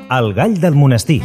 El gall del monestir.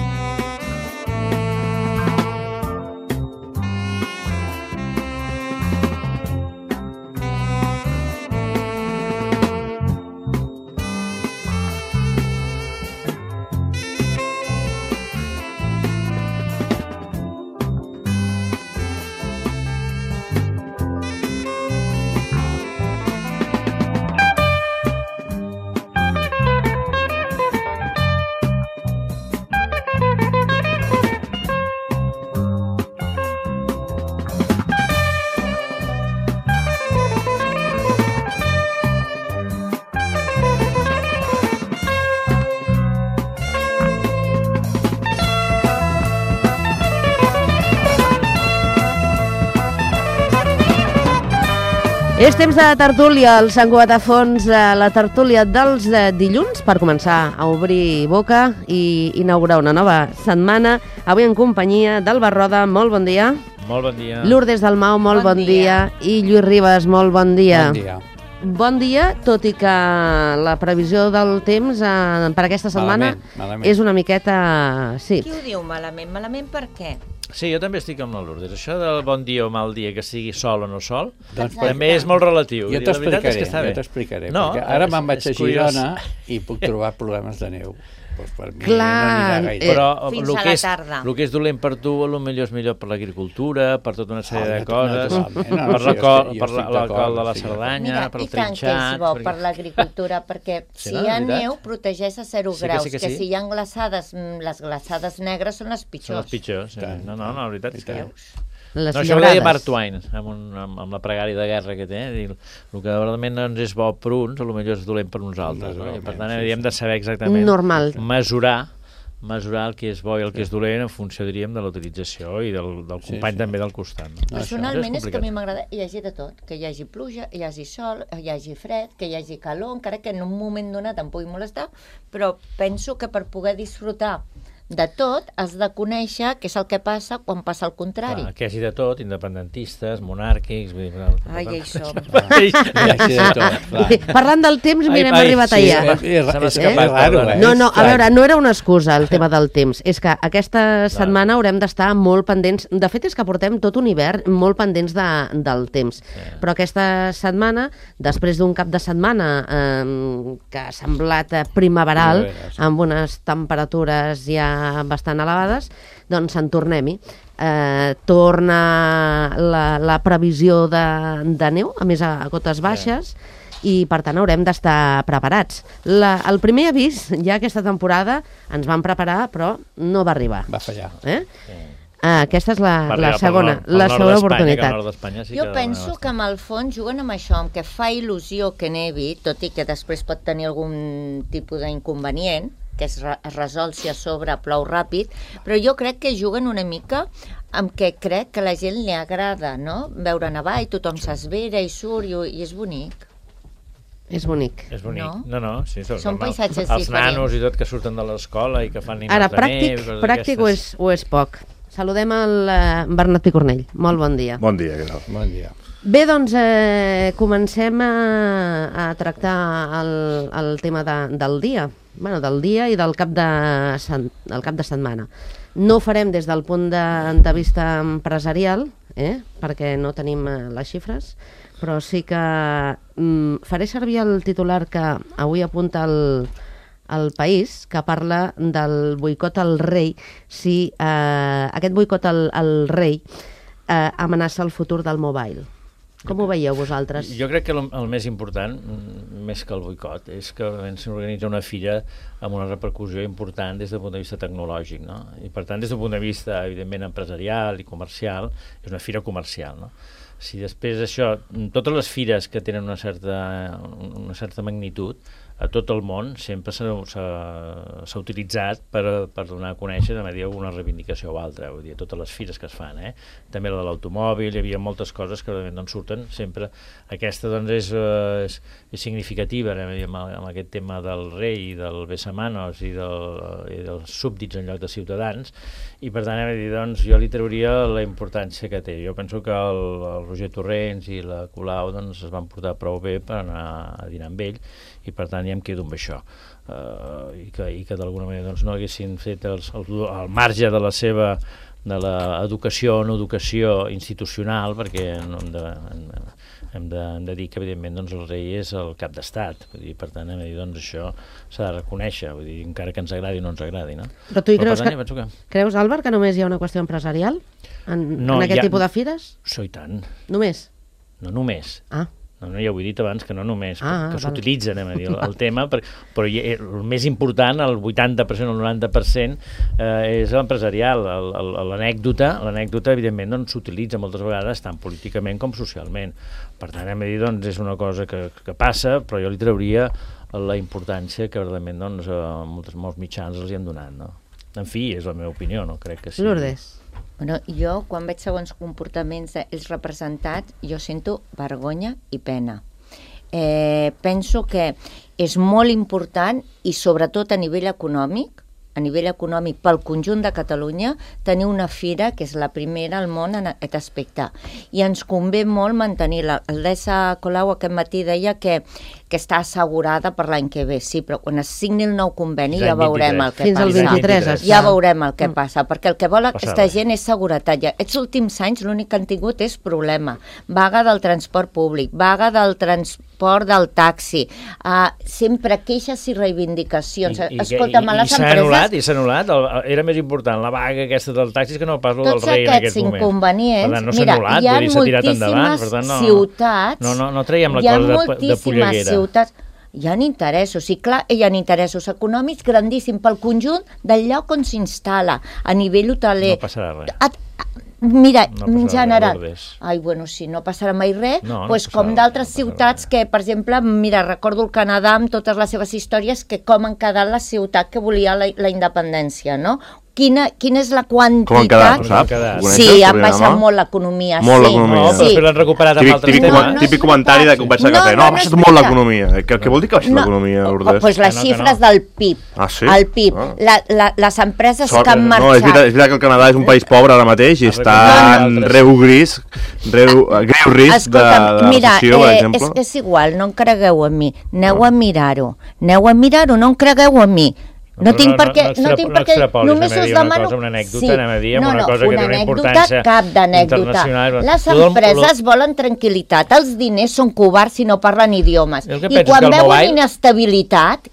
És temps de tertúlia, el Sant Cugat a fons, la tertúlia dels dilluns, per començar a obrir boca i inaugurar una nova setmana. Avui en companyia d'Alba Roda, molt bon dia. Molt bon dia. Lourdes Dalmau, molt bon dia. I Lluís Ribas, molt bon dia. Bon dia. Bon dia, tot i que la previsió del temps per aquesta setmana malament. És una miqueta... Sí. Qui ho diu malament? Malament per què? Sí, jo també estic amb la Lourdes. Això del bon dia o mal dia, que sigui sol o no sol, Doncs també és molt relatiu. Jo t'explicaré, No, perquè ara me'n vaig a curiós. Girona i puc trobar problemes de neu. Doncs per mi Clar, no anirà gaire. Però Fins el a que la és, tarda. el que és dolent per tu, potser és millor per l'agricultura, per tota una sèrie de coses, naturalment. per Jo estic l'alcohol d'acord, de la sí. Cerdanya, Mira, per i el tant que és trinxat... bo per l'agricultura, perquè Sí, si no, hi ha de veritat? neu, protegeix a 0 Sí que graus, sí que que sí. si hi ha glaçades, les glaçades negres són les Són pitjors. els pitjors. Sí. No, la veritat és que... Veus? Les No, això ho deia llaurades. Mark Twain, amb la pregària de guerra que té. El que realment ens és bo per uns, potser és dolent per uns altres. No? I per tant, hem de saber exactament Normal. mesurar el que és bo i el que és dolent en funció, diríem, de la utilització i del company també del costat. No? Personalment és que a complicat. mi m'agrada hi hagi de tot, que hi hagi pluja, hi hagi sol, hi hagi fred, que hi hagi calor, encara que en un moment donat em pugui molestar, però penso que per poder disfrutar de tot has de conèixer què és el que passa quan passa el contrari. Clar, que hi hagi de tot, independentistes, monàrquics... Vull dir, Ai, ja hi som. Hi hagi de tot, clar. Parlant del temps, mira, hem arribat sí, allà. Se m'ha És escapat, raro, perdona. No, a veure, no era una excusa el tema del temps, és que aquesta setmana haurem d'estar molt pendents, de fet és que portem tot un hivern molt pendents del temps, però aquesta setmana, després d'un cap de setmana que ha semblat primaveral, amb unes temperatures ja bastant elevades, doncs en tornem-hi. Torna la previsió de neu, a més a cotes baixes, i per tant haurem d'estar preparats. El primer avís ja aquesta temporada ens van preparar, però no va arribar. Va fallar. Aquesta és la segona oportunitat. Jo penso que amb el fons juguen amb això, amb que fa il·lusió que nevi, tot i que després pot tenir algun tipus d'inconvenient, que es resol si a sobre plou ràpid, però jo crec que juguen una mica amb què crec que a la gent li agrada, no? Veure nevar i tothom s'esvera i surt i és bonic. És bonic. És bonic. No? No, sí, Són paisatges els diferents. nanos i tot que surten de l'escola i que fan nines Ara, de neu... pràctic o és poc? Saludem el Bernat Picornell. Molt bon dia. Bon dia, què tal? Bon dia. Bé, doncs comencem a tractar el tema del dia. Del dia i del cap de setmana. No ho farem des del punt de vista empresarial, perquè no tenim les xifres, però sí que faré servir el titular que avui apunta el País, que parla del boicot al rei, si aquest boicot al rei amenaça el futur del mobile. Com ho veieu vosaltres? Jo crec que el més important, més que el boicot, és que s'organitza una fira amb una repercussió important des del punt de vista tecnològic, no? I per tant, des del punt de vista, evidentment, empresarial i comercial, és una fira comercial, no? Si després això, totes les fires que tenen una certa magnitud, a tot el món sempre s'ha utilitzat per donar a conèixer una reivindicació o altra, vull dir, totes les fires que es fan, també la de l'automòbil, hi havia moltes coses que doncs, surten sempre. Aquesta doncs, és significativa amb aquest tema del rei, del besamanos i dels súbdits en lloc de ciutadans, i per tant doncs, jo li trauria la importància que té. Jo penso que el Roger Torrents i la Colau doncs, es van portar prou bé per anar a dinar amb ell, i per tant ja em quedo amb això. I que d'alguna manera doncs, no haguessin fet al marge de la seva de l'educació o no educació institucional, perquè hem de dir que evidentment doncs, el rei és el cap d'estat, per tant doncs, això s'ha de reconèixer, vull dir, encara que ens agradi o no ens agradi, no? Però tu hi creus, Àlvar, que només hi ha una qüestió empresarial en aquest tipus de fires? Sí, i tant. Només? No només. No, ja ho he dit abans, que no només, que s'utilitza, el tema, però el més important, el 80% o el 90%, és l'empresarial. L'anècdota, evidentment, doncs, s'utilitza moltes vegades, tant políticament com socialment. Per tant, doncs, és una cosa que passa, però jo li trauria la importància que, realment, doncs, molts mitjans els hi han donat, no? En fi, és la meva opinió, no crec que sí. Lourdes. Bueno, jo, quan veig segons comportaments dels representats, jo sento vergonya i pena. Penso que és molt important, i sobretot a nivell econòmic pel conjunt de Catalunya, tenir una fira que és la primera al món en aquest aspecte. I ens convé molt mantenir-la. El Dessa Colau aquest matí deia que està assegurada per l'any que ve, sí, però quan es signi el nou conveni ja veurem el que passa. Fins al 23. Ja veurem el que passa, perquè el que vol aquesta gent és seguretat. Aquests últims anys l'únic que han tingut és problema. Vaga del transport públic, vaga del transport del taxi, sempre queixes i reivindicacions. Escolta'm, a les empreses... I s'ha anul·lat, era més important la vaga aquesta del taxi que no pas el del rei en aquest moment. Tots aquests inconvenients, mira, hi ha moltíssimes ciutats... No traiem la cosa de polleguera. Hi ha interessos, i clar, hi ha interessos econòmics grandíssims pel conjunt del lloc on s'instal·la, a nivell hoteler. No passarà res. Mira, en general, si no passarà mai res, com d'altres ciutats que, per exemple, mira, recordo el Canadà amb totes les seves històries, que com han quedat la ciutat que volia la independència, no? Quina és la quantitat... Com han quedat, saps? Sí, ha baixat molt l'economia. Molt l'economia. Però l'han recuperat amb altres temes. Típic comentari de conversa de cafè. No, ha baixat molt l'economia. Què vol dir que ha baixat l'economia, Lourdes? Doncs les xifres del PIB. Ah, sí? El PIB. Les empreses que han marxat... No, és veritat que el Canadà és un país pobre ara mateix i està en greu risc de recessió, per exemple. És igual, no en cregueu en mi. Aneu a mirar-ho, no en cregueu en mi. No tinc per què, només us demano... Una anècdota, anem a dir, una cosa que té una importància cap d'anècdota. Les empreses volen tranquil·litat, els diners són covards si no parlen idiomes. I quan veuen inestabilitat,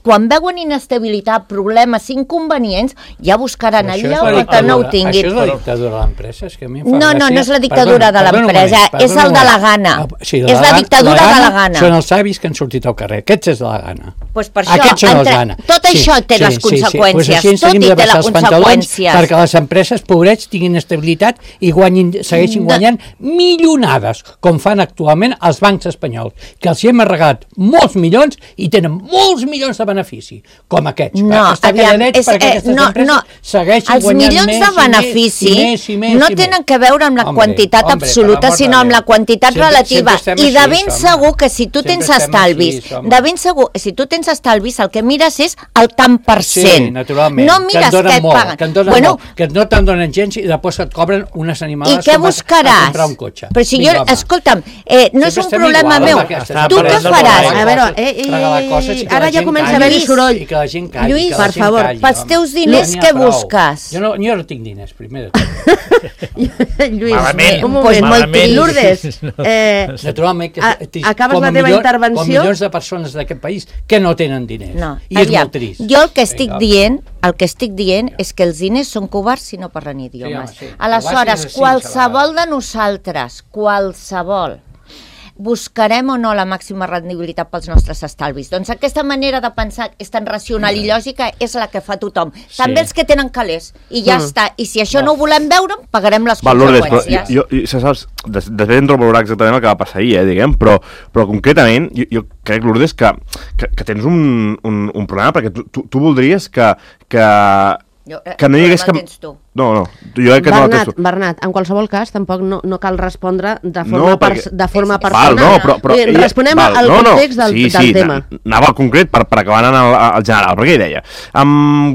problemes, inconvenients, ja buscaran el lloc que no ho tinguin. Això és la dictadura de l'empresa? No, no és la dictadura de l'empresa, és el de la gana. És la dictadura de la gana. Són els avis que han sortit al carrer, aquests és de la gana. Aquests són els gana. Tot això té les conseqüències, tot i té les conseqüències. Perquè les empreses, pobrets, tinguin estabilitat i segueixin guanyant milionades, com fan actualment els bancs espanyols, que els hi hem regalat molts milions i tenen molts milions de benefici, com aquests. Els milions de benefici no tenen que veure amb la quantitat absoluta, sinó amb la quantitat relativa. I de ben segur que si tu tens estalvis, el que mires és el tant per cent. Sí, naturalment, no mires que et paguen. Que no te'n donen gens i després et cobren unes animades com a comprar un cotxe. Però si jo, escolta'm, no és un problema meu. Tu què faràs? A veure, ara ja comença a haver-hi soroll. Lluís, per favor, pels teus diners què busques? Jo no tinc diners, primer de tot. Lluís, un moment, molt trist. Lourdes, acabes la teva intervenció... Com milions de persones d'aquest país que no tenen diners. I és molt trist. Jo el que estic dient és que els diners són covards si no parlen idiomes. Aleshores, qualsevol de nosaltres, buscarem o no la màxima rendibilitat pels nostres estalvis. Doncs aquesta manera de pensar és tan racional i lògica és la que fa tothom. També els que tenen calés. I ja està. I si això no ho volem veure, pagarem les conseqüències. Saps, després entro a valorar exactament el que va passar ahir, diguem, però concretament jo crec, Lourdes, que tens un problema, perquè tu voldries que no hi hagués cap... No, jo crec que no la testo. Bernat, en qualsevol cas, tampoc no cal respondre de forma personal. Però responem al context del tema. Anava al concret per acabar anant al general, perquè hi deia.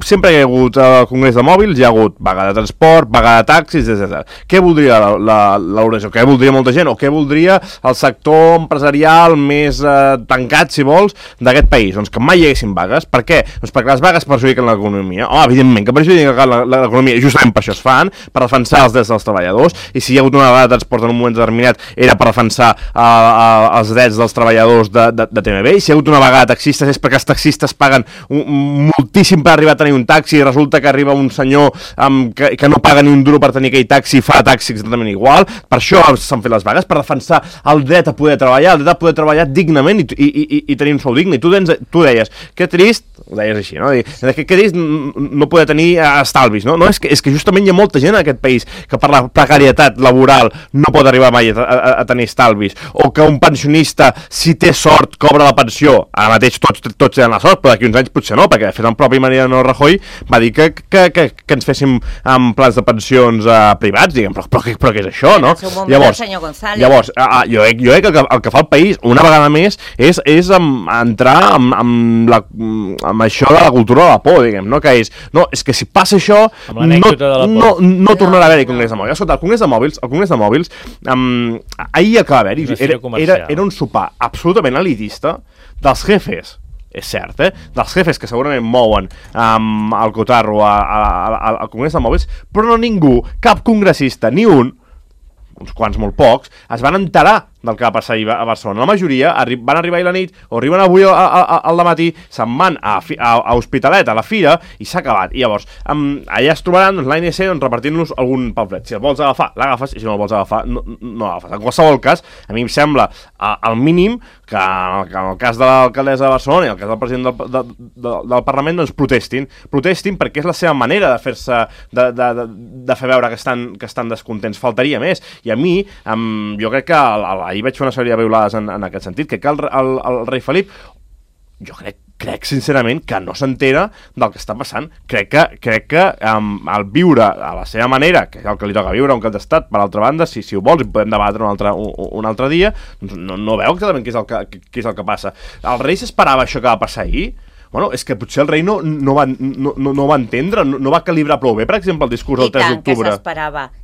Sempre hi ha hagut al Congrés de Mòbils, hi ha hagut vaga de transport, vaga de taxis, etc. Què voldria l'Euroregió? Què voldria molta gent? O què voldria el sector empresarial més tancat, si vols, d'aquest país? Doncs que mai hi haguessin vagues. Per què? Doncs perquè les vagues perjudiquen l'economia. Home, evidentment que perjudiquen l'economia, justament per això es fan, per defensar els drets dels treballadors, i si hi ha hagut una vaga de transport en un moment determinat era per defensar els drets dels treballadors de TMB, i si hi ha hagut una vaga de taxistes és perquè els taxistes paguen moltíssim per arribar a tenir un taxi i resulta que arriba un senyor que no paga ni un duro per tenir aquell taxi i fa taxi exactament igual. Per això s'han fet les vagues, per defensar el dret a poder treballar, el dret a poder treballar dignament i tenir un sou digne. I tu deies, que trist, ho deies així, no? Que trist no poder tenir estalvis, no? És que justament hi ha molta gent en aquest país que per la precarietat laboral no pot arribar mai a tenir estalvis, o que un pensionista, si té sort, cobra la pensió. Ara mateix tots tenen la sort, però d'aquí uns anys potser no, perquè de fet el propi Mariano Rajoy va dir que ens féssim amb plans de pensions privats, diguem, però què és això, no? Llavors, jo crec que el que fa el país, una vegada més, és entrar amb això de la cultura de la por, diguem, no? Que és que si passa això no tornarà a haver-hi Congrés de Mòbils. Escolta, el Congrés de Mòbils ahir acaba d'haver-hi, era un sopar absolutament elitista dels jefes, és cert, dels jefes que segurament mouen el cotarro al Congrés de Mòbils, però no ningú, cap congressista, ni uns quants molt pocs, es van enterar del que va passar ahir a Barcelona. La majoria van arribar ahir a la nit, o arriben avui al dematí, se'n van a Hospitalet, a la fira, i s'ha acabat. I llavors, allà es trobaran l'ANC repartint-los algun pamflet. Si el vols agafar, l'agafes, i si no el vols agafar, no l'agafes. En qualsevol cas, a mi em sembla al mínim que en el cas de l'alcaldessa de Barcelona i el cas del president del Parlament, doncs protestin perquè és la seva manera de fer-se, de fer veure que estan descontents. Faltaria més. I a mi, jo crec que ahir vaig fer una sèrie de veulades en aquest sentit, que el rei Felip, jo crec sincerament que no s'entera del que està passant. Crec que al viure a la seva manera, que és el que li toca viure a un cap d'estat, per altra banda, si ho vols, i podem debatre un altre dia, doncs no veu exactament què és el que passa. El rei s'esperava això que va passar ahir? Bueno, és que potser el rei no va entendre, no va calibrar prou bé, per exemple, el discurs del 3 d'octubre.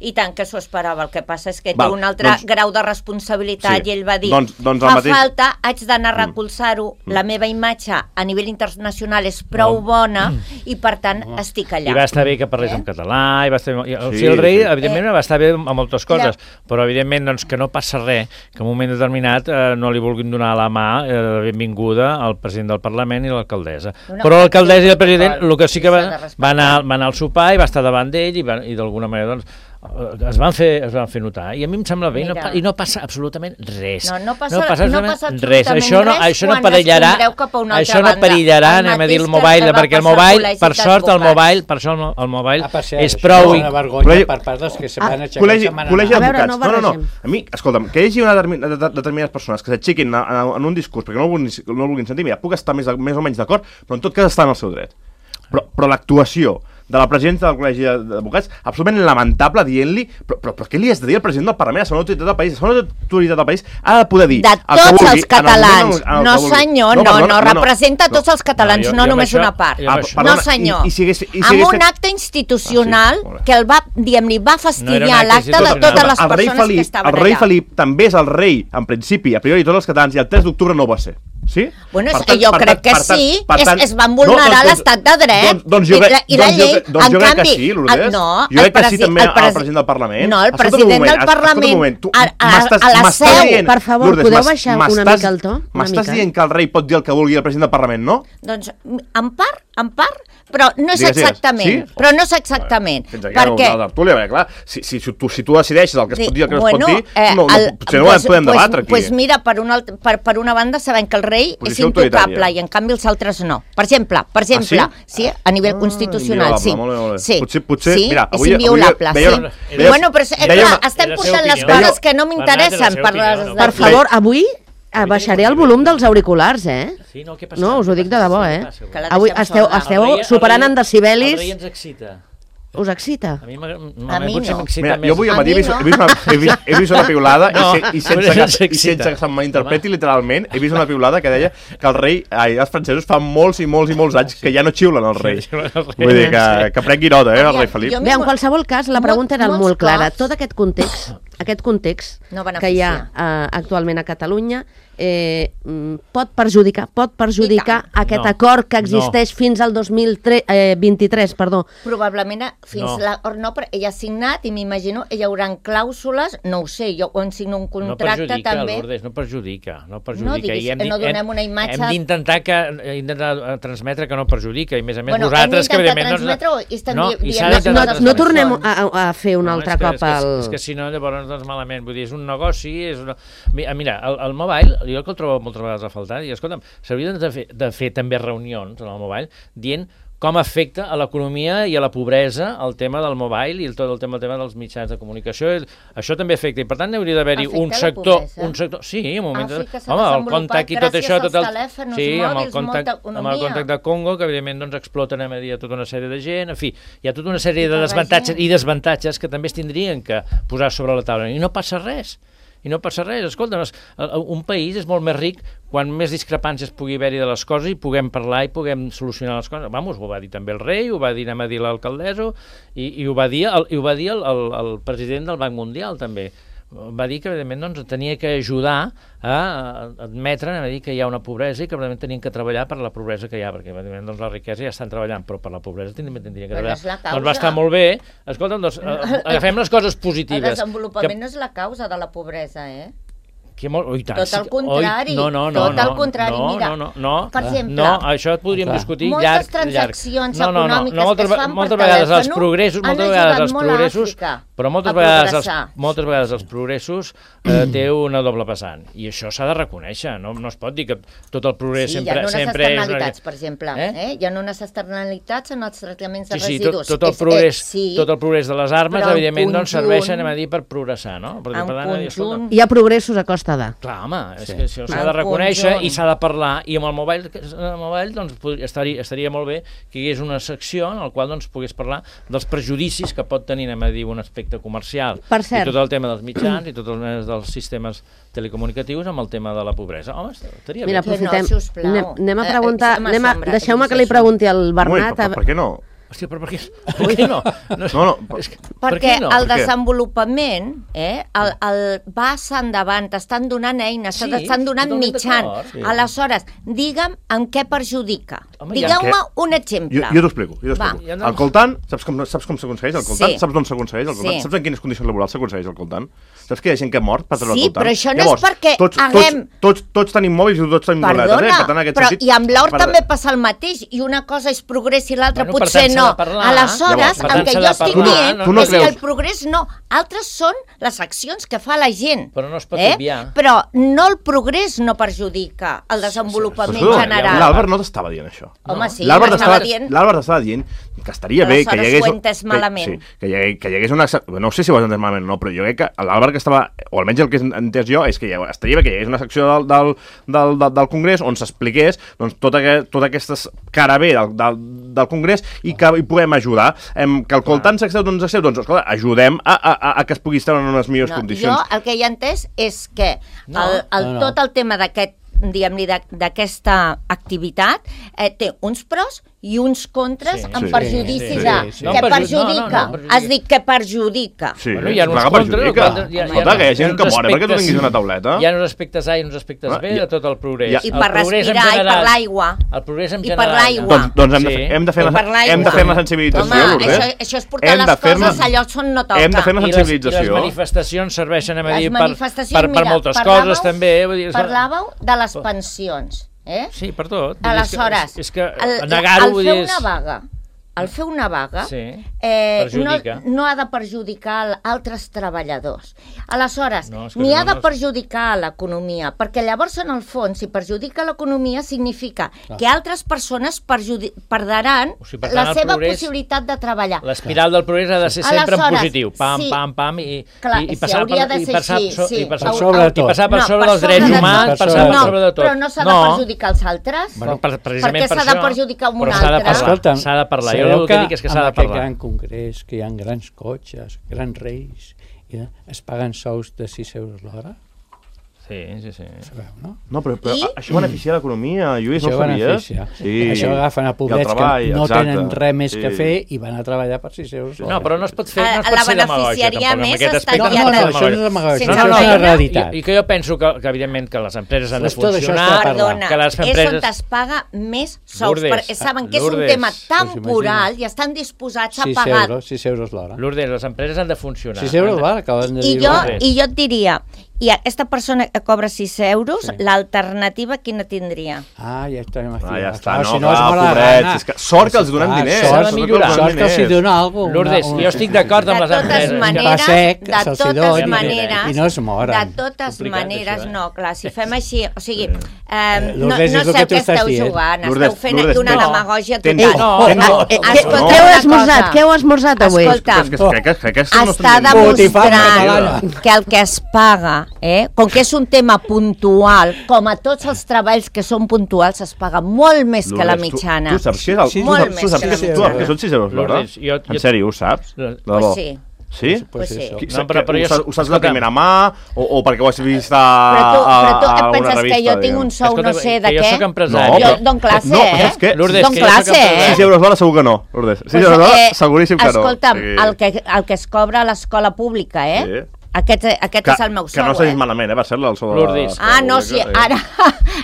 I tant que s'ho esperava. El que passa és que té un altre grau de responsabilitat, i ell va dir, falta, haig d'anar a recolzar-ho, la meva imatge a nivell internacional és prou bona, i per tant estic allà. I va estar bé que parlés en català, el rei, evidentment, va estar bé amb moltes coses, però evidentment que no passa res, que en un moment determinat no li vulguin donar la mà de benvinguda al president del Parlament i l'alcaldessa. Però l'alcaldessa i el president, el que sí que va anar al sopar i va estar davant d'ell, i d'alguna manera es van fer notar, i a mi em sembla bé, i no passa absolutament res. No passa absolutament res. Això no perillarà, anem a dir, el mobile, perquè el mobile, per sort, el mobile és prou... una vergonya per part dels que se van aixecar. Col·legi d'advocats. No. A mi, escolta'm, que hi hagi determinades persones que s'aixequin en un discurs perquè no el vulguin sentir, mira, puc estar més o menys d'acord, però en tot cas està en el seu dret. Però l'actuació de la presidenta del Col·legi d'Advocats, absolutament lamentable, dient-li, però què li has de dir al president del Parlament, a la segona autoritat del país? La segona autoritat del país ha de poder dir... De tots els catalans. No, senyor, no, representa tots els catalans, no només una part. No, senyor. Amb un acte institucional que li va fastidiar l'acte de totes les persones que estaven allà. El rei Felip també és el rei, en principi, a priori, tots els catalans, i el 3 d'octubre no ho va ser. Sí? Bueno, jo crec que sí, es van vulnerar l'estat de dret i la llei. Doncs jo crec que sí, Lourdes. Jo crec que sí també el president del Parlament. No, el president del Parlament a la seu. Per favor, podeu baixar una mica el to? M'estàs dient que el rei pot dir el que vulgui el president del Parlament, no? Doncs en part, però no és exactament. Però no és exactament. Fins aquí la tertúlia, clar. Si tu decideixes el que es pot dir i el que no es pot dir, potser no ho podem debatre aquí. Doncs mira, per una banda sabem que el rei és intocable i en canvi els altres no. Per exemple, sí, a nivell constitucional, sí. Potser, mira, és inviolable, sí. Bueno, però clar, estem portant les coses que no m'interessen. Per favor, avui baixaré el volum dels auriculars, No, us ho dic de debò, Avui esteu superant en decibelis. El rei ens excita. Us excita? A mi A mi potser no. m'excita Mira, més. jo avui al matí he vist una piulada i sense que se'm malinterpreti literalment, he vist una piulada que deia que els francesos fa molts i molts anys que ja no xiulen el rei. Vull dir que prengui nota, el rei Felip. Bé, en qualsevol cas, la pregunta era molts molt clara. cops- Tot aquest context No que hi ha actualment a Catalunya pot perjudicar aquest No. acord que existeix fins al 2023, perdó. Probablement fins No. no, però ell ha signat i m'imagino hi haurà clàusules, no ho sé, jo quan signo un No contracte perjudica, també... Lourdes, no perjudica. No diguis, no donem una imatge- Hem d'intentar transmetre que no perjudica, i a més Bueno, vosaltres, que hem d'intentar evidentment... transmetre i estem dient s'ha d'intentar coses No com tornem són. a fer un altre cop És que si no, llavors, doncs, malament. Vull dir, és un negoci, és una... Mira, el mobile, jo que el trobo moltes vegades a faltar, i escolta'm, s'haurien de fer també reunions en el mobile dient com afecta a l'economia i a la pobresa el tema del mobile i tot el tema dels mitjans de comunicació. Això també afecta, i per tant hauria d'haver-hi un Afecta la sector... Sí, un moment... Àfrica s'ha Home, el desenvolupat contact i tot gràcies això... als telèfons mòbils, molta amb el economia. contact de Congo, que evidentment doncs, exploten a dia tota una sèrie de gent, en fi, hi ha tota una sèrie I de per la desavantatges gent. i desavantatges que també es tindrien que posar sobre la taula, i no passa res. I no passa res. Escolta, un país és molt més ric quan més discrepàncies pugui haver-hi de les coses i puguem parlar i puguem solucionar les coses. Vamos, ho va dir també el rei, ho va dir, anem a dir l'alcaldessa, i ho va dir el president del Banc Mundial també. Va dir que, evidentment, doncs, tenia que ajudar a admetre, a dir que hi ha una pobresa i que, evidentment, tenien que treballar per la pobresa que hi ha, perquè, evidentment, doncs, la riquesa ja estan treballant, però per la pobresa tindrien que Però treballar. no és la causa. Doncs va estar molt bé. Escolta'm, doncs, agafem les coses El positives. desenvolupament no és la causa de la pobresa, I tant, Tot el contrari. No, Tot el contrari, mira. no, Per exemple, no, això et podríem Clar. discutir moltes llarg. transaccions No, econòmiques moltes, que es fan moltes per vegades els telèfon progressos, han moltes vegades ajudat els molt a progressos, Àfrica però moltes a vegades els progressos té una doble vessant, i això s'ha de reconèixer, no es pot dir que tot el progrés Sí, hi ha sempre unes és... externalitats, per exemple. Hi ha unes externalitats en els tractaments de Sí, residus. tot el progrés, sí, tot el progrés de les armes, però en evidentment, doncs conjunt- serveixen, a dir, per progressar, no? Perquè, en per tant, escolta, conjunt... Hi ha progressos a costa de. clar, home, és Sí. que això s'ha En de reconèixer conjunt. i s'ha de parlar, i amb el mobile doncs, estaria molt bé que hi hagués una secció en la qual doncs, pogués parlar dels prejudicis que pot tenir, anem a dir, un aspecte comercial, Per cert. i tot el tema dels mitjans i tot el tema dels sistemes telecomunicatius amb el tema de la pobresa. Home, estaria Mira, bé. aprofitem. sisplau. Anem a preguntar... m'assombra, Deixeu-me que li això. pregunti al Ui, Bernat... per què no? Hòstia, però per què no? No, És que- Perquè per què no? el Per què? desenvolupament va endavant, t'estan donant eines, Sí, t'estan donant totalment mitjans. d'acord, sí. Aleshores, digue'm en què perjudica. Home, Digueu-me ja- un exemple. Jo t'ho explico. Va. Ja no- El coltan, saps com s'aconsegueix el coltan? Sí. Saps d'on s'aconsegueix el coltan? Sí. Saps en quines condicions laborals s'aconsegueix el coltan? Saps que hi ha gent que ha mort per treure Sí, el coltan? però això no és perquè haguem- Tots tenim mòbils i tots tenim Perdona, tabletes, per tant, en aquest però sentit... i amb l'or també passa el mateix, i una cosa és progrés i l'altra Bueno, per potser tant, s'ha no. de parlar. Aleshores, Llavors, per el tant, que s'ha jo de estic parlar. dient Tu no és que creus- el progrés no. Altres són les accions que fa la gent. Però no es pot obviar. Però no el progrés no perjudica el desenvolupament Però, general. l'Àlvart no t'estava dient això. Home, sí, L'Àlvart m'estava dient... estava dient que estaria bé que hi Aleshores hagués... ho he entès malament. Sí, que hi hagués una... No sé si ho has entès malament o no, però jo crec que l'Àlvart que estava... O almenys el que he entès jo és que estaria bé que hi hagués una secció del Congrés on s'expliqués doncs, tota aquesta cara bé del Congrés i que hi puguem ajudar. Que el coltant s'acceu, doncs escolta, ajudem a que es pugui estar en unes millors condicions. Jo el que he entès és que tot el tema d'aquesta activitat té uns pros i uns contres en perjudici de... Què perjudica? Has dit que perjudica. Sí, Bueno, hi ha uns clar que contres, perjudica. Escolta, que hi ha gent que mor perquè tu tinguis una tauleta. Hi ha uns aspectes A i uns aspectes B de tot el progrés. I per respirar, i per l'aigua. El progrés en I general. per l'aigua. Doncs hem de fer la sensibilització, Home, Lourdes. això és portar les coses a llocs on no toca. Hem de fer la I les sensibilització. manifestacions serveixen a dir Les per manifestacions, moltes coses també. Parlàveu de les pensions, Sí, per tot. Aleshores, És que negar-ho, vull dir... el fer una vaga perjudica. no ha de perjudicar altres treballadors. Aleshores, No, és que ni ha no de perjudicar l'economia, perquè llavors, en el fons, si perjudica l'economia, significa que altres persones perdran O sigui, per tant, la el seva progrés- possibilitat de treballar. L'espiral del progrés ha de ser sempre en Aleshores, positiu. Pam, sí. pam, pam, i Hauria de ser així, sí. per Per sobre de tot. I passar per No, sobre per dels sobre drets de humans, tot. passar per No, sobre de tot. però no s'ha de perjudicar els altres. Bueno, precisament Perquè per s'ha de això. perjudicar un Però s'ha de altre. parlar, Escolta'm, s'ha de parlar. sí. Jo el que dic és que s'ha de amb aquest parlar. gran congrés, que hi ha grans cotxes, grans reis, i es paguen sous de 6 euros l'hora? Sí. Sabeu, no? No, però això beneficia l'economia, Lluís, no Això ho sabies? beneficia. Això agafen a poblets que no tenen res més que fer i van a treballar per 6 euros l'hora. No, però no es pot fer, no es La pot ser demagògia, beneficiaria tampoc. més Amb aquest estar aspecte ja no, tan- això no és demagògia, sense això és una feina. realitat. I que jo penso que evidentment que les empreses han de Tot això funcionar, està Perdona, que les és on empreses... es paga més sous, Lourdes, perquè saben que és un Lourdes, tema pues temporal i estan disposats a 6 pagar. 6 euros l'hora. Lourdes, les empreses han de funcionar. 6 euros l'hora, acaben de I dir. jo, Lourdes. I jo et diria, i aquesta persona que cobra 6 euros, l'alternativa quina tindria? Ja estem aquí. Ja està, Clar, no, si no clar, és mala pobrets, gana. és que sort que els donem diners. s'ha de millorar. Sort que els dona alguna cosa. Lourdes, jo estic d'acord amb les empreses. I no es moren. De totes Complicat, maneres, això, eh? no, clar, si fem així, o sigui, no Lourdes, és el sé que el tu que estàs esteu dient. jugant, Lourdes, esteu fent Lourdes, aquí una no. demagògia Tens- total. No. Escolteu Què heu una esmorzat? cosa. Què heu esmorzat avui? Escolta, Crec que no està estem dient- demostrant que el que es paga, com que és un tema puntual, com a tots els treballs que són puntuals, es paga molt més que la Lourdes, mitjana. Tu saps què és el... Sí, molt tu més saps que la que mitjana. són 6 euros l'hora? Lourdes, jo- En sèrio, ho saps? De Pues debò? sí. Sí? Pues sí. No, però jo- Ho saps de primera mà o perquè ho has vist Però tu a et alguna penses que revista? jo tinc un sou no Escolta, sé de que jo què? sóc empresari. Jo dono classe, no, saps què? Lourdes, Dono que jo sóc classe, empresari. 6 euros l'hora segur que no, Lourdes. 6 euros l'hora seguríssim que no. Escolta'm, Sí. el que es cobra a l'escola pública, Sí. Aquest és el meu Que sou, no s'ha dit malament, va ser el sou de Lourdes. Ah, no, sí, ara...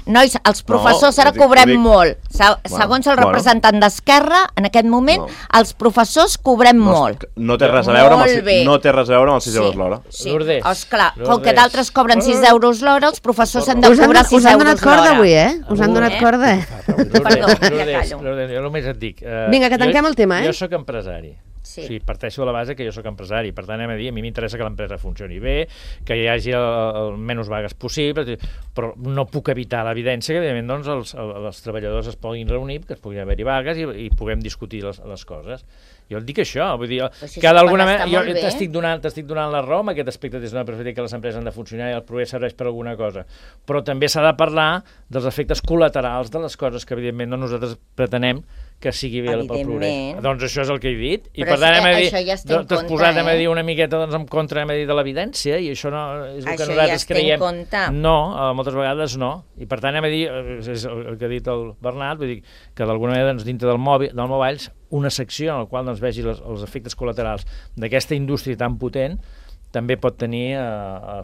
Nois, els professors No, ara ho dic- cobrem ho dic. molt. Segons el bueno. representant d'Esquerra, en aquest moment, No. els professors cobrem molt. No té res a veure amb Molt els, bé. no té res a veure amb els 6 euros l'hora. Sí, Lourdes, esclar, com Lourdes. que d'altres cobren 6 euros l'hora, els professors han de Us han, cobrar 6 us han donat euros corda l'hora. avui, Us han donat corda, Perdó, ja callo. Lourdes, jo només et dic... Vinga, que tanquem el tema, Jo sóc empresari. Sí. O sigui, parteixo de la base que jo sóc empresari, per tant, a mi m'interessa que l'empresa funcioni bé, que hi hagi el menys vagues possible, però no puc evitar l'evidència que, evidentment, doncs, els treballadors es puguin reunir, que es puguin haver-hi vagues i puguem discutir les coses. Jo et dic això, vull dir, si que s'ho d'alguna paga, manera està jo molt bé. t'estic donant la raó amb aquest aspecte des d'una perspectiva que les empreses han de funcionar i el progrés serveix per alguna cosa, però també s'ha de parlar dels efectes col·laterals de les coses que, evidentment, no nosaltres pretenem que sigui bé pel progrés. Evidentment. Doncs això és el que he dit. I Però per tant, això ja es té en t'has compte, posat a dir eh? una miqueta doncs, en contra de l'evidència i això no és el Això que ja nosaltres es té en creiem. compte. No, moltes vegades no. I per tant, és el que ha dit el Bernat, vull dir que d'alguna manera doncs, dintre del mobile una secció en la qual doncs, vegi els efectes col·laterals d'aquesta indústria tan potent també pot tenir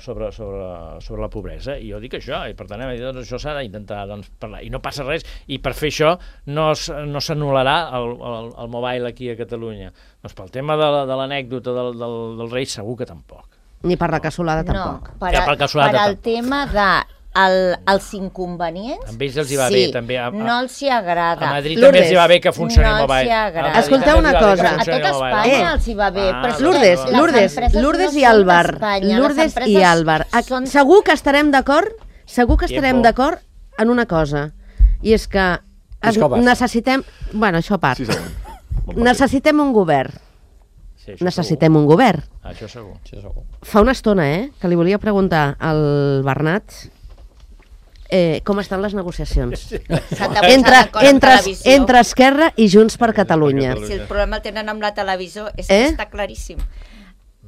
sobre la pobresa. I jo dic això, i per tant, doncs, això s'ha d'intentar doncs, parlar. I no passa res, i per fer això no s'anul·larà el mobile aquí a Catalunya. Doncs pel tema de l'anècdota del rei segur que tampoc. Ni per la cassolada tampoc. No, per Ja, per cassolada al tema de els inconvenients, A ells els hi va bé, també. no els hi agrada. A Madrid Lourdes, també els hi va bé que funcioni el no els mobile. hi agrada. A Madrid Escolteu també els hi una va bé que cosa. A funcioni tot el mobile. Espanya els hi va bé, però és que Lourdes, les Lourdes, empreses Lourdes no i són Àlvar, d'Espanya, les Lourdes i empreses Àlvar. són- Segur que estarem d'acord, Tiempo. en una cosa, i és que Escobar. necessitem, bueno, això a part, Sí, segur. necessitem un govern. Sí, això Necessitem un govern. segur. Això segur. Fa una estona, que li volia preguntar al Bernat com estan les negociacions S'han de posar d'acord amb televisió. entre Esquerra i Junts per Catalunya. Si el problema el tenen amb la televisió, és Eh? que està claríssim.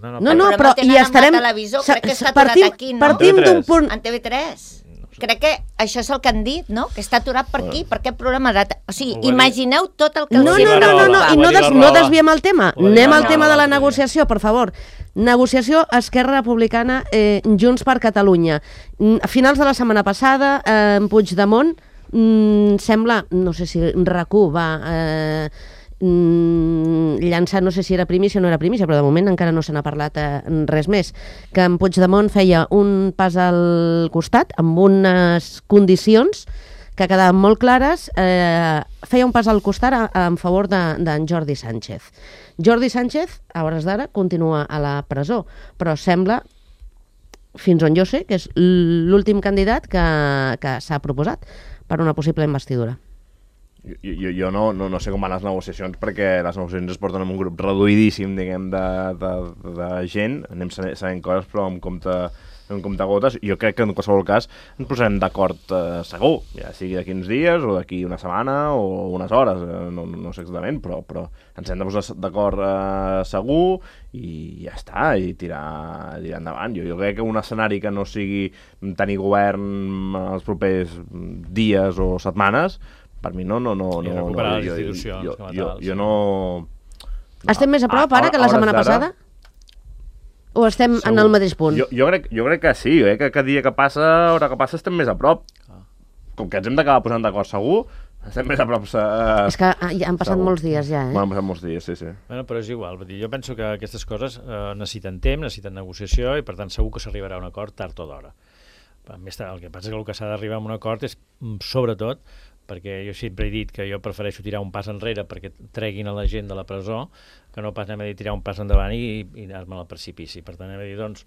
No, El no, problema però el tenen hi amb estarem... la televisió, crec que està aturat partim, aquí, no? Partim d'un punt... En TV3. Crec que això és el que han dit, no? Que està aturat per aquí, per aquest problema de... O sigui, Ho va dir- imagineu tot el que No, els dir no, la no, no, no, Rahola. i Ho va no, dir la no Rahola. desviem el tema. Ho va dir Anem la al tema de la Rahola. negociació, per favor. Negociació Esquerra Republicana, Junts per Catalunya. A finals de la setmana passada, Puigdemont sembla, no sé si RAC1 va llançar, no sé si era primícia o no era primícia, però de moment encara no se n'ha parlat res més, que en Puigdemont feia un pas al costat amb unes condicions que quedaven molt clares, feia un pas al costat en favor d'en Jordi Sánchez. Jordi Sánchez, a hores d'ara, continua a la presó, però sembla, fins on jo sé, que és l'últim candidat que s'ha proposat per una possible investidura. Jo no sé com van les negociacions, perquè les negociacions es porten en un grup reduïdíssim, diguem, de gent. Anem sabent coses, però amb compte un comptagotes. Jo crec que en qualsevol cas ens posarem d'acord segur, ja sigui d'aquí uns dies o d'aquí una setmana o unes hores, no sé exactament, però ens hem de posar d'acord segur i ja està, i tirar endavant. Jo crec que un escenari que no sigui tenir govern els propers dies o setmanes, per mi no. I recuperar les institucions com a tals. Jo no... Estem més a prop ara que la setmana passada? O estem en el mateix punt? Jo crec que sí, que cada dia que passa, hora que passa, estem més a prop. Com que ens hem d'acabar posant d'acord segur, estem més a prop. És que ja han passat molts dies ja, Bueno, han passat molts dies, sí. Bueno, però és igual, jo penso que aquestes coses necessiten temps, necessiten negociació i per tant segur que s'arribarà a un acord tard o d'hora. Més tard, el que passa és que el que s'ha d'arribar a un acord és, sobretot, perquè jo sempre he dit que jo prefereixo tirar un pas enrere perquè treguin a la gent de la presó que no pas anem a dir tirar un pas endavant i anar-me al precipici. Per tant, anem a dir, doncs,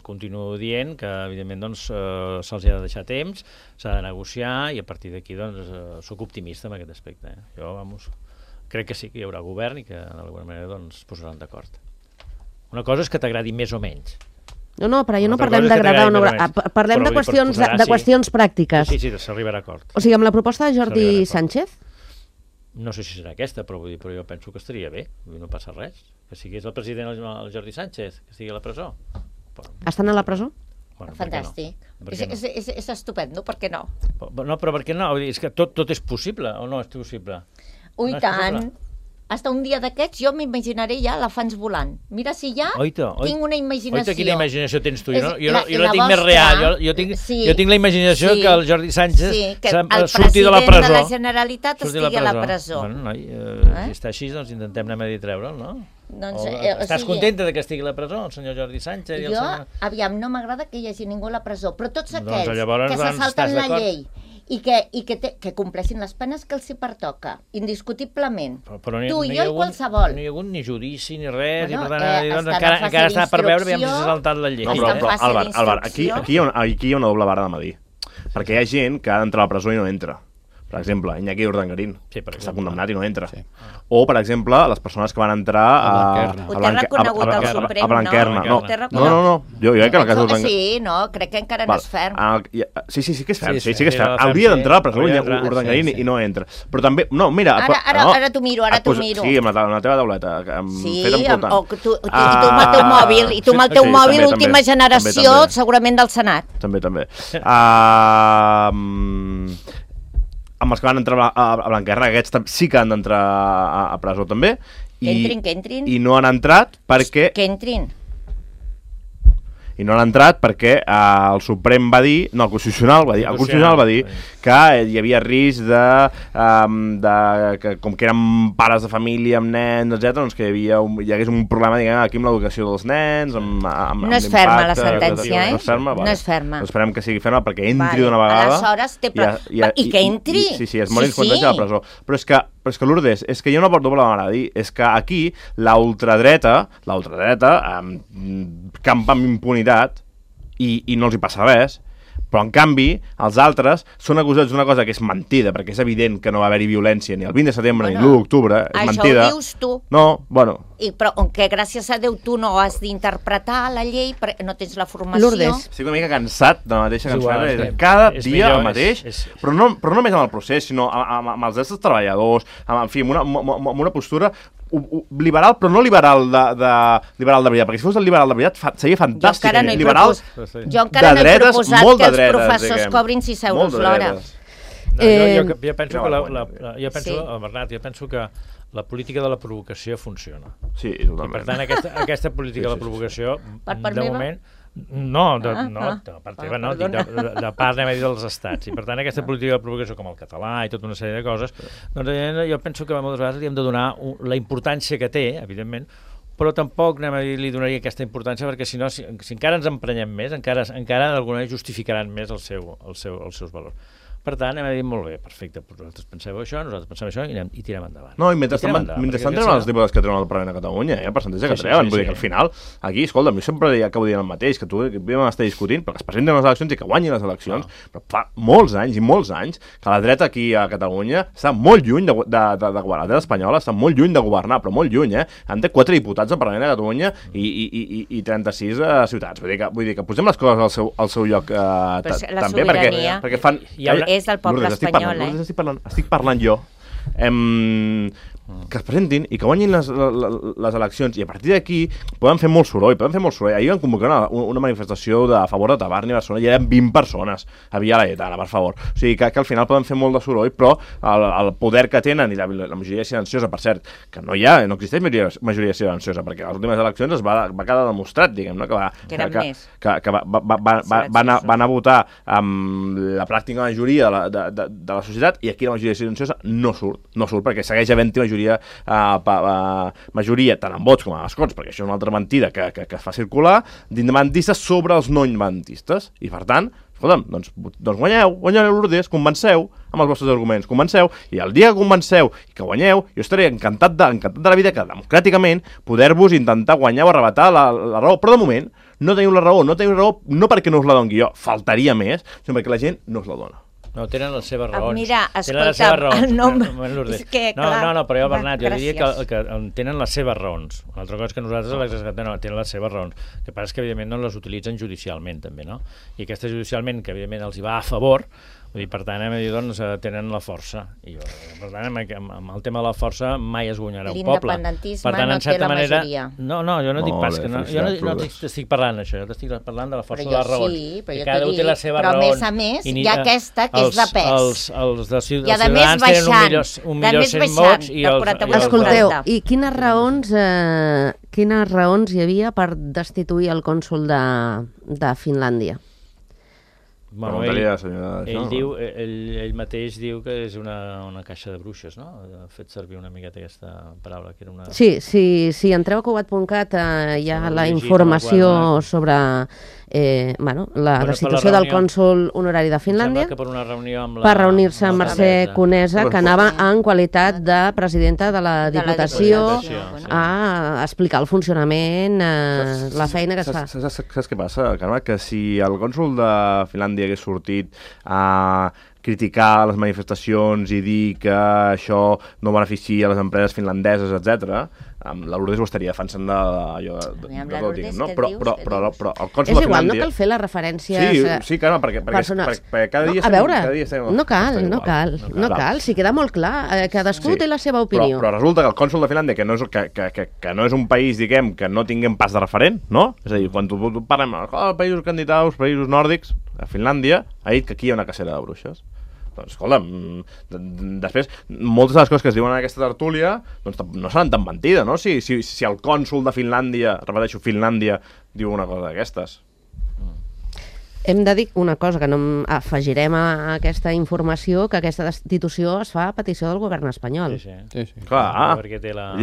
continuo dient que, evidentment, doncs, se'ls ha de deixar temps, s'ha de negociar i a partir d'aquí, doncs, sóc optimista en aquest aspecte. Jo, crec que sí que hi haurà govern i que, d'alguna manera, doncs, es posaran d'acord. Una cosa és que t'agradi més o menys. No, però jo no parlem d'agradar o no agradar. Parlem de qüestions pràctiques. Sí, s'arribarà a acord. O sigui, amb la proposta de Jordi Sánchez? No sé si serà aquesta, però jo penso que estaria bé. No passa res. Que sigués el president el Jordi Sánchez, que estigui a la presó. Estan a la presó? Bueno, fantàstic. És estupendo, per què no? No, però per què no? És que tot és possible, o no és possible? Ui, tant. Hasta un dia d'aquests jo m'imaginaré ja elefants volant. Mira si ja tinc una imaginació. Oita, quina imaginació tens tu? Jo la tinc més real. Jo tinc la imaginació que el Jordi Sánchez surti de la presó. El president de la Generalitat estigui a la presó. Bueno, noi, si està així, doncs intentem anar a dir treure'l, no? Estàs contenta que estigui a la presó, el senyor Jordi Sánchez? Jo, aviam, no m'agrada que hi hagi ningú a la presó, però tots aquells que se salten la llei i que compleixin les penes que els hi pertoca, indiscutiblement. Tu i jo i qualsevol. No hi ha hagut ni judici ni res, i per tant encara està per veure si s'ha saltat la llei. No, però Albert, aquí hi ha una doble vara de medir. Perquè hi ha gent que ha d'entrar a la presó i no entra. Per exemple, Iñaki Urdangarín, que està condemnat i no entra. O, per exemple, les persones que van entrar Ho té reconegut el Suprem, Blanquerna. No. Jo crec que en el cas d'Urdangarín... Sí, no, crec que encara no és ferm. Sí que és ferm. Sí que és ferm. Hauria d'entrar a la presó Urdangarín i no entra. Però també... No, mira... Ara t'ho miro. Sí, amb la teva tauleta. Sí, i tu amb el teu mòbil, última generació, segurament del Senat. També. Amb els que van entrar a Blanquerna, aquests sí que han d'entrar a presó també. Que entrin. I no han entrat perquè... Que entrin. I no han entrat perquè el Suprem va dir... No, el Constitucional va dir que hi havia risc que com que eren pares de família amb nens, etc., doncs que hi hagués un problema, diguem, aquí amb l'educació dels nens, amb no és ferma la sentència, No és ferma? No és ferma. Esperem que sigui ferma perquè entri d'una vegada. Aleshores, i que entri. Sí, es mori quan deixa la presó. Però és que Lourdes, és que hi ha una doble manera de dir, és que aquí la ultradreta campa amb impunitat i no els hi passa res, però en canvi els altres són acusats d'una cosa que és mentida, perquè és evident que no va haver-hi violència ni el 20 de setembre ni l'1 d'octubre, és mentida. Això ho dius tu. No, bueno... Però que gràcies a Déu tu no has d'interpretar la llei perquè no tens la formació. Lourdes. Estic una mica cansat de la mateixa cançó, cada dia el mateix, però no només amb el procés, sinó amb els drets dels treballadors, en fi, amb una postura liberal, però no liberal de veritat, perquè si fos el liberal de veritat seria fantàstic. Jo encara no he proposat que els professors cobrin 6 euros l'hora. Jo penso que la política de la provocació funciona. Sí, totalment. I per tant, aquesta política de la provocació, de moment... No, de part teva no, de part, anem a dir, dels estats. I per tant, aquesta política de provocació, com el català i tota una sèrie de coses, doncs jo penso que moltes vegades li hem de donar la importància que té, evidentment, però tampoc li donaria aquesta importància perquè si no, si encara ens emprenyem més, encara d'alguna manera justificaran més els seus valors. Per tant, hem dit molt bé, perfecte, vosaltres penseu això, nosaltres pensem això i tirem endavant. No, i mentrestant treuen els diputats que treuen el Parlament a Catalunya, el percentatge que treuen, vull dir que al final, aquí, escolta, jo sempre acabo dient el mateix, que tu vam estar discutint, però que es presenten les eleccions i que guanyin les eleccions, però fa molts anys que la dreta aquí a Catalunya està molt lluny de governar, la dreta espanyola està molt lluny de governar, però molt lluny, En té 4 diputats al Parlament de Catalunya i 36 ciutats, vull dir que posem les coses al seu lloc també, perquè fan... És del poble espanyol, Estic parlant jo. Que es presentin i que guanyin les eleccions i a partir d'aquí poden fer molt soroll. Ahir van convocar una manifestació a favor de Tabarni a Barcelona i eren 20 persones a Via Laietana, per favor. O sigui que al final poden fer molt de soroll, però el poder que tenen i la majoria silenciosa, per cert, que no existeix majoria silenciosa, perquè a les últimes eleccions es va quedar demostrat, diguem-ne, que van a votar amb la pràctica majoria de la societat i aquí la majoria silenciosa no surt perquè segueix havent-hi majoria tant en vots com en escons, perquè això és una altra mentida que es fa circular, d'independentistes sobre els no independentistes. I per tant, escolta'm, doncs guanyeu Lourdes, convenceu amb els vostres arguments, convenceu, i el dia que convenceu i que guanyeu, jo estaré encantat de la vida que democràticament poder-vos intentar guanyar o arrebatar la raó, però de moment no teniu la raó, no perquè no us la doni jo, faltaria més, sinó perquè la gent no us la dona. No, tenen les seves raons. Mira, escolta, el nom... És que, clar... No, però jo, Bernat, jo diria que tenen les seves raons. Una altra cosa és que nosaltres tenen les seves raons. El que passa és que, evidentment, no les utilitzen judicialment, també, no? I aquesta judicialment, que, evidentment, els hi va a favor, vull dir, per tant, doncs, tenen la força. I, per tant, amb el tema de la força mai es guanyarà un poble. L'independentisme no té la majoria. No, jo no dic pas que no. Jo no t'estic parlant d'això, jo t'estic parlant de la força de les raons. Sí, però jo t'ho dic, però a més hi ha aquesta que és de pes. Els de Ciutadans tenen 1.100.000 vots i els... Escolteu, i quines raons hi havia per destituir el cònsol de Finlàndia? Bueno, ell mateix diu que és una caixa de bruixes, no? Ha fet servir una miqueta aquesta paraula, que era una... Sí, si entreu a cugat.cat hi ha la informació sobre la destitució del cònsol honorari de Finlàndia per reunir-se amb Mercè Conesa, que anava en qualitat de presidenta de la Diputació a explicar el funcionament, la feina que es fa. Saps què passa, Carme? Que si el cònsol de Finlàndia hagués sortit a criticar les manifestacions i dir que això no beneficia les empreses finlandeses, etc., la Lourdes ho estaria defensant no? Però el cònsol de Finlàndia... És igual, no cal fer les referències sí, Carme, perquè cada dia... A veure, no cal, si queda molt clar, cadascú té la seva opinió. Però resulta que el cònsol de Finlàndia, que no és un país, diguem, que no tinguem pas de referent, no? És a dir, quan parlem de països candidats, països nòrdics, a Finlàndia ha dit que aquí hi ha una cacera de bruixes. Doncs, escolta, després, moltes de les coses que es diuen en aquesta tertúlia doncs, no seran tan mentida, no? Si el cònsol de Finlàndia, repeteixo, Finlàndia, diu una cosa d'aquestes. Hem de dir una cosa, que no afegirem a aquesta informació, que aquesta destitució es fa a petició del govern espanyol. Sí. Clar, perquè té la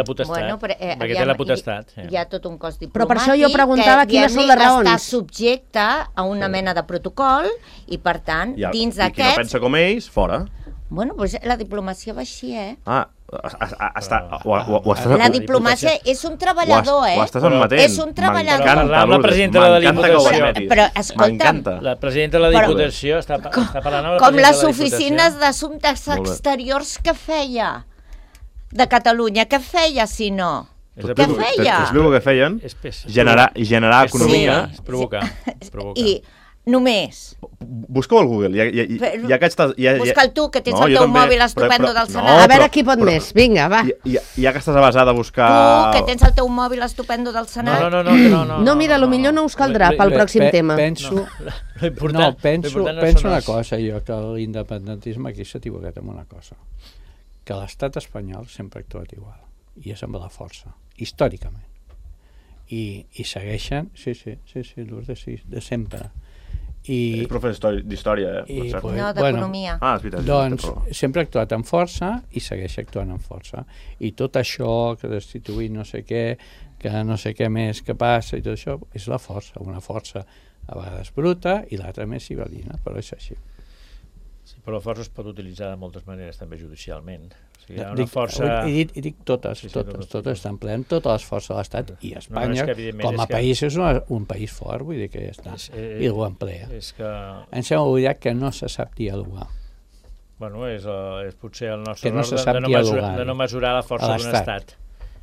potestat. Perquè té la potestat. Hi ha tot un cos diplomàtic però per això jo preguntava quines són les raons. Està subjecte a una mena de protocol i, per tant, dins d'aquests... I qui no pensa com ells, fora. Bueno, doncs la diplomàcia va així, La diplomàcia és un treballador, Ho estàs admetent. És un treballador. M'encanta, la presidenta de la Diputació. Però, escolta'm, la presidenta de la Diputació està parlant amb la com les oficines d'assumptes exteriors que feia de Catalunya. Què feia, si no? Què feia? T'explico què feien? Generar economia. És provocar. I només... Busca-ho al Google. Busca'l tu, que tens el teu mòbil estupendo del Senat. A veure qui pot més. Vinga, va. Ja que estàs basada a buscar... Tu, que tens el teu mòbil estupendo del Senat. No, mira, potser no us caldrà pel pròxim tema. Penso una cosa, jo, que l'independentisme aquí s'ha equivocat amb una cosa. Que l'estat espanyol sempre ha actuat igual. I és amb la força, històricament. I segueixen, sí, Lourdes, sí, de sempre. És professor d'història, No, d'economia. És veritat. Doncs sempre ha actuat amb força i segueix actuant amb força. I tot això, que destituir no sé què, que no sé què més que passa i tot això, és la força, una força a vegades bruta i l'altra més civilina, però és així. Sí, però la força es pot utilitzar de moltes maneres, també judicialment. O sigui, hi ha una força... He dit totes, totes estan empleant totes les forces de l'Estat i Espanya, com a país, és un país fort, vull dir que ja està, i ho emplea. Ens hem oblidat que no se sap dialogar. Bueno, és potser el nostre error de no mesurar la força d'un estat.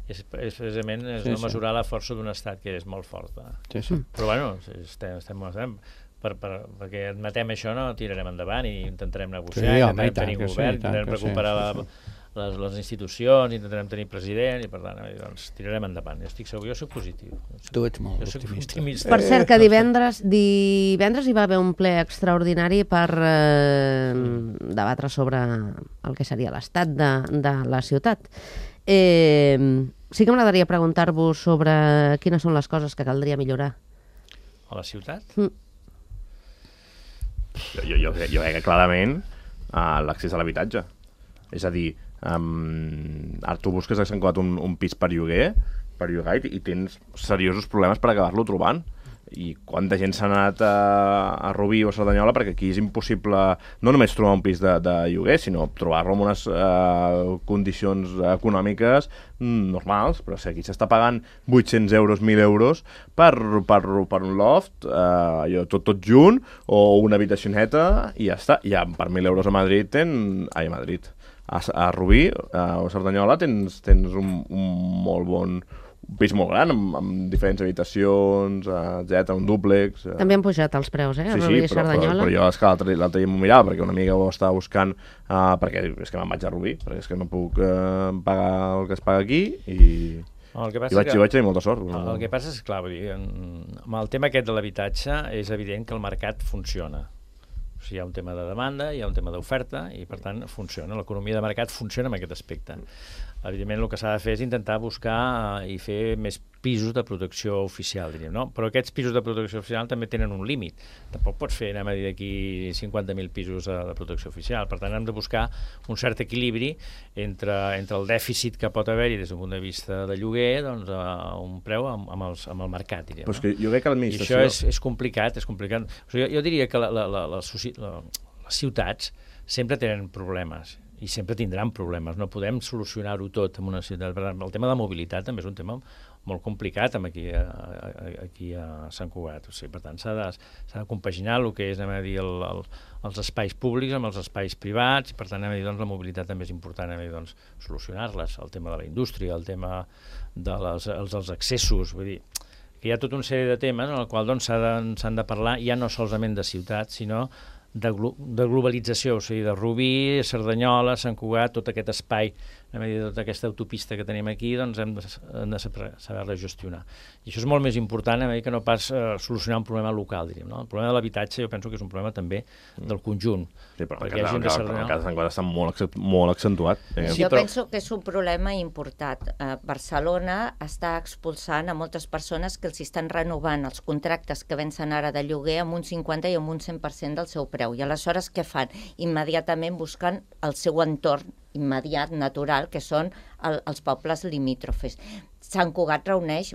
És precisament no mesurar la força d'un estat, que és molt fort. Però bueno, estem perquè admetem això, no tirarem endavant i intentarem negociar, intentarem tenir govern, intentarem recuperar les institucions, intentarem tenir president i per tant, doncs, tirarem endavant. Jo estic segur, jo soc positiu. Tu ets molt optimista. Per cert, que divendres hi va haver un ple extraordinari per debatre sobre el que seria l'estat de la ciutat. Sí que m'agradaria preguntar-vos sobre quines són les coses que caldria millorar. A la ciutat? Jo crec que clarament l'accés a l'habitatge. És a dir, ara tu busques a Sant Cugat un pis per llogar i tens seriosos problemes per acabar-lo trobant. I quanta gent s'ha anat a Rubí o a Cerdanyola perquè aquí és impossible no només trobar un pis de lloguer, sinó trobar-lo en unes condicions econòmiques normals, però si aquí s'està pagant 800 euros, 1.000 euros per un loft, tot junt, o una habitacioneta, i ja està. Ja per 1.000 euros a Madrid a Rubí o a Cerdanyola tens un molt bon pis molt gran, amb diferents habitacions, un dúplex... També han pujat els preus, a Rubí i Cerdanyola. Però jo és que l'altre dia m'ho mirava, perquè una amiga ho estava buscant, perquè és que me'n vaig a Rubí, perquè és que no puc pagar el que es paga aquí, i vaig tenir molta sort. El que passa és, clar, amb el tema aquest de l'habitatge és evident que el mercat funciona. O sigui, hi ha un tema de demanda, hi ha un tema d'oferta, i per tant funciona. L'economia de mercat funciona en aquest aspecte. Evidentment el que s'ha de fer és intentar buscar i fer més pisos de protecció oficial, diríem, no? Però aquests pisos de protecció oficial també tenen un límit. Tampoc pots fer, anem a dir, aquí 50.000 pisos de protecció oficial. Per tant, hem de buscar un cert equilibri entre el dèficit que pot haver-hi des d'un punt de vista de lloguer, doncs, a un preu amb el mercat, diríem. Però és que jo crec que l'administració... I això és complicat, és complicat. O sigui, jo diria que les ciutats sempre tenen problemes i sempre tindran problemes, no podem solucionar-ho tot en una ciutat. El tema de la mobilitat també és un tema molt complicat aquí a Sant Cugat. O sigui, per tant, s'ha de compaginar el que és, anem a dir, els espais públics amb els espais privats, i per tant, anem a dir, doncs, la mobilitat també és important, anem a dir, doncs, solucionar-les, el tema de la indústria, el tema dels accessos, vull dir, que hi ha tota una sèrie de temes en el qual doncs, s'han de parlar ja no solament de ciutats, sinó de globalització, o sigui, de Rubí, Cerdanyola, Sant Cugat, tot aquest espai, tota aquesta autopista que tenim aquí, doncs hem de saber-la gestionar. I això és molt més important que no pas solucionar un problema local, diríem, no? El problema de l'habitatge jo penso que és un problema també del conjunt. Sí, però el cas de Sant Cugat està molt accentuat. Jo penso que és un problema important. Barcelona està expulsant a moltes persones que els estan renovant els contractes que vencen ara de lloguer amb un 50 i amb un 100% del seu preu. I aleshores què fan? Immediatament busquen el seu entorn immediat, natural, que són els pobles limítrofes. Sant Cugat reuneix,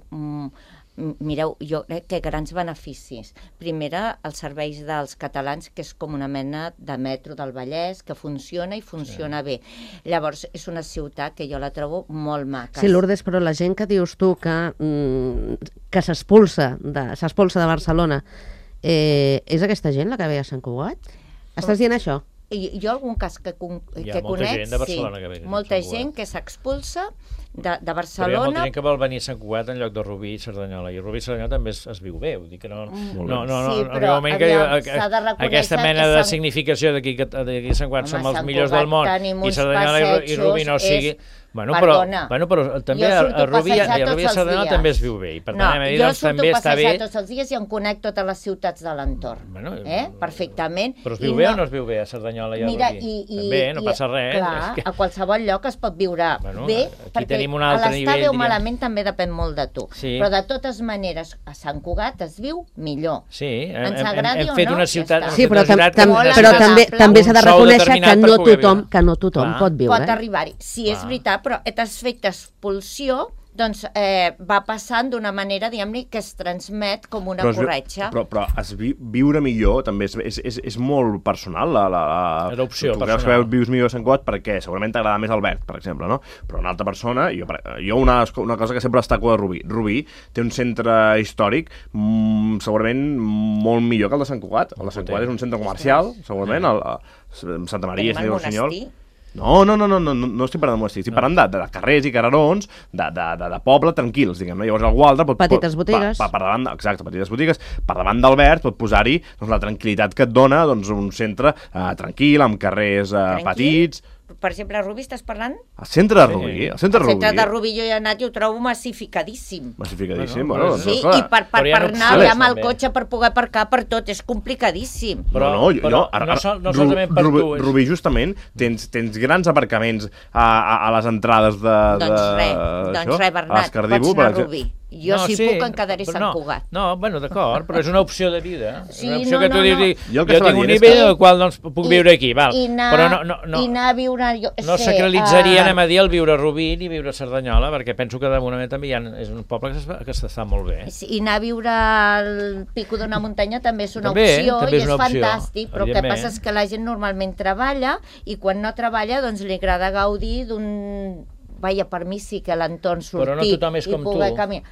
mireu, jo crec que grans beneficis. Primera, els serveis dels catalans, que és com una mena de metro del Vallès, que funciona i funciona bé. Llavors, és una ciutat que jo la trobo molt maca. Sí, Lourdes, però la gent que dius tu que s'expulsa de Barcelona, és aquesta gent la que ve a Sant Cugat? Estàs dient això? Jo algun cas que conec, sí, molta gent que s'expulsa de Barcelona. Però hi ha molta gent que vol venir a Sant Cugat en lloc de Rubí i Cerdanyola, i Rubí i Cerdanyola també es viu bé, vull dir que no arriba un moment que aquesta mena de significació d'aquí a Sant Cugat som els millors del món i Cerdanyola i Rubí no sigui... Bueno, però també a Rubí i Cerdanyola també es viu bé, i per tant jo surto a passejar tots els dies i em conec totes les ciutats de l'entorn, perfectament. Però es viu bé o no es viu bé a Cerdanyola i a Rubí? També, no passa res. Clar, a qualsevol lloc es pot viure bé, perquè a l'estar bé o malament també depèn molt de tu. Però de totes maneres, a Sant Cugat es viu millor. Sí, hem fet una ciutat... Sí, però també s'ha de reconèixer que no tothom pot viure. Pot arribar-hi. Si és veritat, però t'has fet expulsió doncs va passant d'una manera, diguem-ne, que es transmet com una corretja. Però viure millor també és molt personal. Era opció tu creus que vius millor a Sant Cugat perquè segurament t'agrada més Albert, per exemple, no? Però una altra persona, jo una cosa que sempre destaco de Rubí. Rubí té un centre històric segurament molt millor que el de Sant Cugat. El de Sant Cugat és un centre comercial, segurament, Santa Maria, Sant Diego Senyol. No estic parlant de monestir, estic parlant de carrers i carrerons, de poble tranquils, diguem-ne. Llavors algú altre petites botigues. Exacte, petites botigues. Per davant d'Albert pot posar-hi la tranquil·litat que et dona un centre tranquil, amb carrers petits. Per exemple, a Rubí estàs parlant? El centre de Rubí. El centre de Rubí jo hi he anat i ho trobo massificadíssim. Bueno, sí, i per anar allà amb el cotxe per poder aparcar per tot, és complicadíssim. Però no solament per tu. Rubí, justament, tens grans aparcaments a les entrades de... Doncs res, Bernat, pots anar a Rubí. Jo puc em quedaré a Sant Cugat. No, bueno, d'acord, però és una opció de vida. Sí, una opció que tu dius, jo tinc un nivell al qual puc viure aquí, val. Però I anar a viure... No sacralitzaria, anem a dir, el viure a Rubí ni viure a Cerdanyola, perquè penso que de moment també és un poble que està molt bé. I anar a viure al pico d'una muntanya també és una opció i és fantàstic, però el que passa és que la gent normalment treballa i quan no treballa doncs li agrada gaudir d'un... Vaja, per mi sí que l'entorn sortir i poder caminar.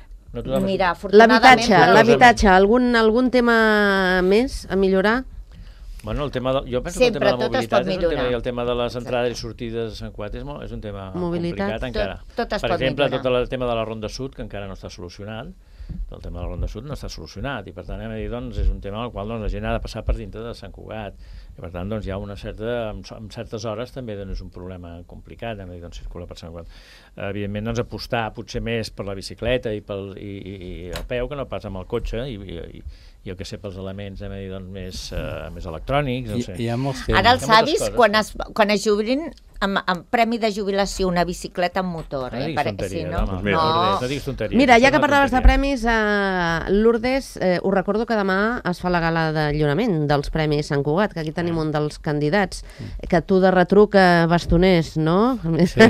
Mira, afortunadament... L'habitatge, algun tema més a millorar? Bueno, jo penso que el tema de la mobilitat és un tema, i el tema de les entrades i sortides a Sant Cugat és un tema complicat encara. Per exemple, tot el tema de la Ronda Sud, que encara no està solucionat, el tema de la Ronda Sud no està solucionat, i per tant és un tema al qual la gent ha de passar per dintre de Sant Cugat, i per tant hi ha en certes hores també és un problema complicat, circular per Sant Cugat. Evidentment apostar potser més per la bicicleta i a peu que no pas amb el cotxe, i jo que sé, pels elements més electrònics, no sé. Ara els avis, quan es jubilin, amb premi de jubilació una bicicleta amb motor. No diguis tonteries, no diguis tonteries. Mira, ja que parlaves de premis, Lourdes, us recordo que demà es fa la gala de lliurament dels Premis Sant Cugat, que aquí tenim un dels candidats, que tu de retruc bastoners, no? Sí.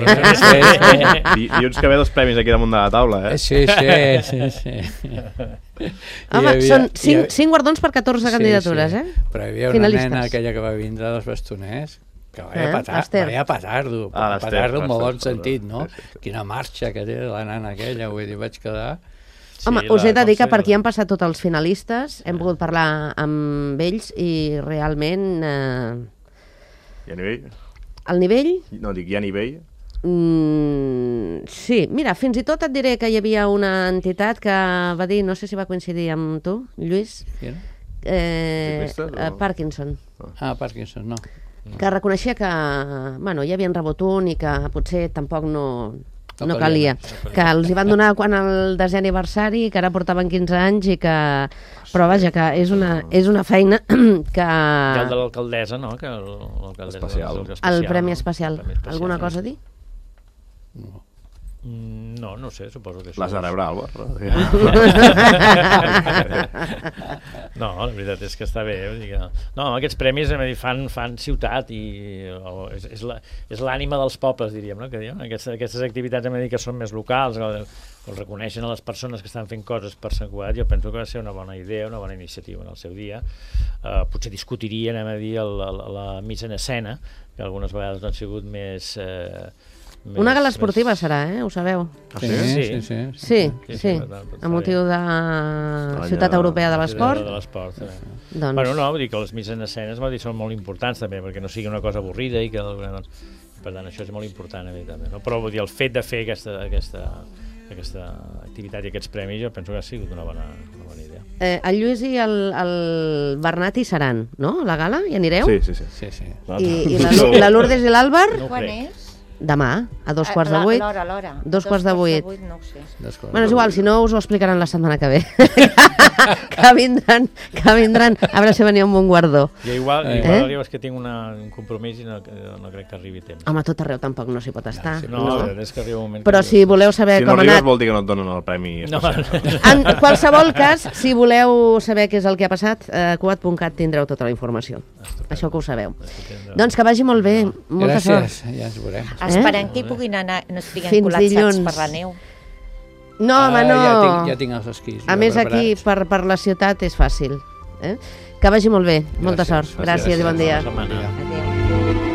Dilluns que ve dos premis aquí damunt de la taula, eh? Sí. Home, són 5 guardons per 14 candidatures, eh? Però hi havia una nena, aquella que va vindre dels bastoners, que vaya petardo, petardo en molt bon sentit, no? Quina marxa que té la nana aquella, vull dir, vaig quedar... Home, us he de dir que per aquí han passat tots els finalistes, hem pogut parlar amb ells i realment... Hi ha nivell? El nivell? No, dic, hi ha nivell? Sí, mira, fins i tot et diré que hi havia una entitat que va dir, no sé si va coincidir amb tu, Lluís, Parkinson. Parkinson, no. Que reconeixia que, bueno, ja havien rebut un i que potser tampoc no calia. Que els hi van donar quan el 10è aniversari, que ara portaven 15 anys i que... Però vaja, que és una feina que... I el de l'alcaldessa, no? El Premi Especial. Alguna cosa a dir? No sé, suposo que això... L'has de rebre, Albert. No, la veritat és que està bé. No, aquests premis fan ciutat i és l'ànima dels pobles, diríem, no? Aquestes activitats que són més locals, o reconeixen a les persones que estan fent coses per Sant Cugat, jo penso que va ser una bona idea, una bona iniciativa en el seu dia. Potser discutiria, la missa en escena, que algunes vegades no han sigut més... Una gala esportiva serà, ho sabeu? Sí, a motiu de Ciutat Europea de l'Esport. Bueno, no, vull dir que les misses en escenes són molt importants també, perquè no sigui una cosa avorrida i que... Per tant, això és molt important, evidentment. Però vull dir, el fet de fer aquesta activitat i aquests premis jo penso que ha sigut una bona idea. El Lluís i el Bernat hi seran, no? A la gala? Hi anireu? Sí. I la Lourdes i l'Àlvar? Quan és? Demà, a 7:45. A l'hora. 7:45. No ho sé. Bueno, és igual, si no us ho explicaran la setmana que ve. que vindran a veure si venia un bon guardó. Jo igual és que tinc un compromís i no crec que arribi temps. Home, a tot arreu tampoc no s'hi pot estar. No, és que arriba un moment... Però si voleu saber com ha anat... Si no arribes vol dir que no et donen el premi especial. En qualsevol cas, si voleu saber què és el que ha passat, a cugat.cat tindreu tota la informació. Això que ho sabeu. Doncs que vagi molt bé. Molta sort. Gràcies, ja ens veurem. Esperem que hi puguin anar, no estiguem col·lapsats per la neu. No, home, no. Ja tinc els esquís. A més, aquí, per la ciutat, és fàcil. Que vagi molt bé. Molta sort. Gràcies i bon dia. Bona setmana. Adéu.